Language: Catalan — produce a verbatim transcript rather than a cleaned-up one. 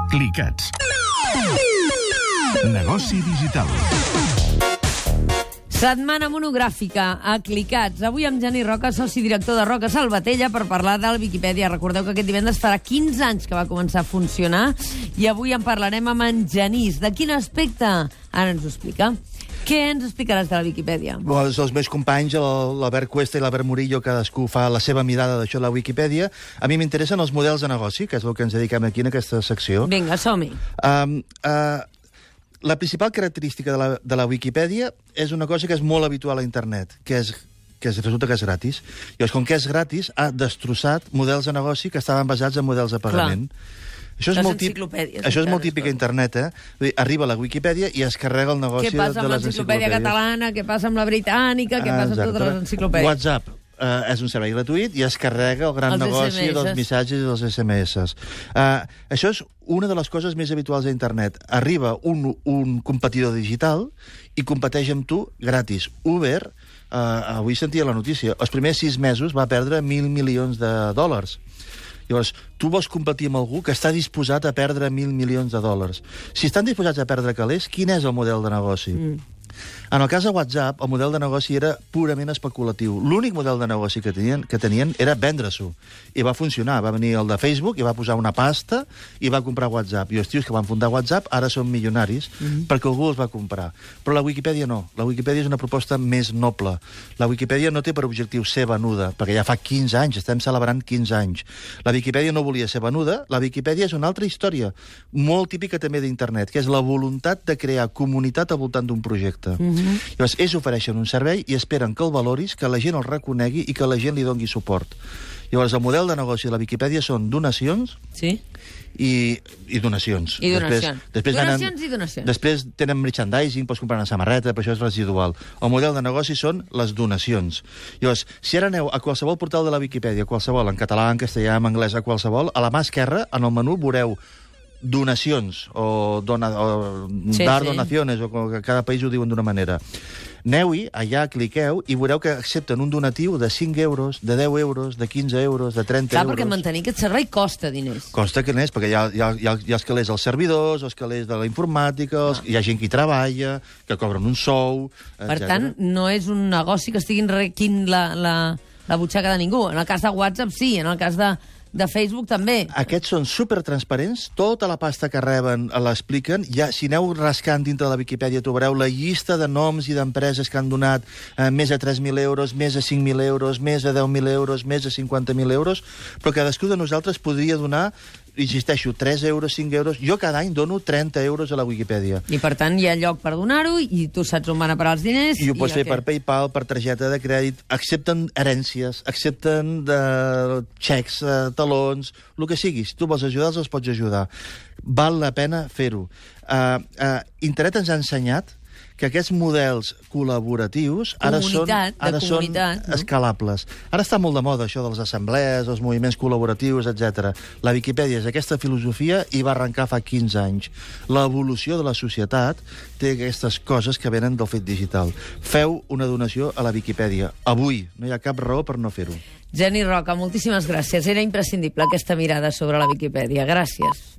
Clicats. Negoci digital. Setmana monogràfica a Clicats. Avui amb Genís Roca, soci director de Roca Salvatella, per parlar del Viquipèdia. Recordeu que aquest divendres farà quinze anys que va començar a funcionar i avui en parlarem amb en Genís. De quin aspecte? Ara ens ho explica. Què ens explicaràs de la Viquipèdia? Bon, els meus companys, l'Albert Cuesta i l'Albert Murillo, cadascú fa la seva mirada d'això de la Viquipèdia. A mi m'interessen els models de negoci, que és el que ens dediquem aquí en aquesta secció. Vinga, som-hi. Um, uh, la principal característica de la, de la Viquipèdia és una cosa que és molt habitual a internet, que és que resulta que és gratis. Llavors, com que és gratis, ha destrossat models de negoci que estaven basats en models de pagament. Clar. Això és, molt típic, això és molt típic a internet, eh? Vull dir, arriba a la Wikipedia i es carrega el negoci de les enciclopèdies. Què passa amb l'enciclopèdia catalana, què passa amb la britànica, què passa amb totes les enciclopèdies? WhatsApp eh, és un servei gratuït i es carrega el gran els negoci S M S. Dels missatges i dels S M S. Uh, això és una de les coses més habituals a internet. Arriba un, un competidor digital i competeix amb tu gratis. Uber, uh, avui sentia la notícia, els primers sis mesos va perdre mil milions de dòlars. Llavors, tu vols competir amb algú que està disposat a perdre mil milions de dòlars. Si estan disposats a perdre calés, quin és el model de negoci? Mm. En el cas de WhatsApp, el model de negoci era purament especulatiu. L'únic model de negoci que tenien, que tenien era vendre-s'ho. I va funcionar. Va venir el de Facebook i va posar una pasta i va comprar WhatsApp. I els tios que van fundar WhatsApp ara són milionaris mm-hmm. perquè algú els va comprar. Però la Wikipedia no. La Wikipedia és una proposta més noble. La Wikipedia no té per objectiu ser venuda, perquè ja fa quinze anys, estem celebrant quinze anys. La Wikipedia no volia ser venuda. La Wikipedia és una altra història, molt típica també d'internet, que és la voluntat de crear comunitat al voltant d'un projecte. Mm-hmm. Llavors, ells ofereixen un servei i esperen que el valoris, que la gent el reconegui i que la gent li doni suport. Llavors, el model de negoci de la Wikipedia són donacions sí. i, i donacions. I donacions. Després, després donacions venen, i donacions. Després tenen merchandising, pots comprar una samarreta, però això és residual. El model de negoci són les donacions. Llavors, si ara aneu a qualsevol portal de la Wikipedia, qualsevol, en català, en castellà, en anglès, a qualsevol, a la mà esquerra, en el menú, veureu donacions o, dona, o sí, dar sí. donaciones, o que cada país ho diuen d'una manera. Aneu-hi, allà cliqueu i veureu que accepten un donatiu de cinc euros, de deu euros, de quinze euros, de trenta Clar, euros. perquè mantenir aquest servei costa diners. Costa diners, perquè hi ha, hi ha, hi ha, hi ha els calés als servidors, els calés de la informàtica, els, hi ha gent que hi treballa, que cobren un sou, etcètera. Per tant, no és un negoci que estigui enriquint la, la, la butxaca de ningú. En el cas de WhatsApp sí, en el cas de... de Facebook també. Aquests són supertransparents, tota la pasta que reben l'expliquen. Ja, si aneu rascant dintre de la Viquipèdia trobareu la llista de noms i d'empreses que han donat eh, més de tres mil euros, més de cinc mil euros, més de deu mil euros, més de cinquanta mil euros, però cadascú de nosaltres podria donar, insisteixo, tres euros, cinc euros. Jo cada any dono trenta euros a la Wikipedia. I per tant hi ha lloc per donar-ho i tu saps on van a parar els diners. I ho pots i fer per PayPal, per targeta de crèdit. Accepten herències, accepten de xecs, eh, talons, el que sigui. Si tu vols ajudar, els pots ajudar. Val la pena fer-ho. Uh, uh, Internet ens ha ensenyat que aquests models col·laboratius ara són, ara són no? escalables. Ara està molt de moda això de les assemblees, els moviments col·laboratius, etcètera. La Viquipèdia és aquesta filosofia i va arrencar fa quinze anys. L'evolució de la societat té aquestes coses que venen del fet digital. Feu una donació a la Viquipèdia. Avui no hi ha cap raó per no fer-ho. Genís Roca, moltíssimes gràcies. Era imprescindible aquesta mirada sobre la Viquipèdia. Gràcies.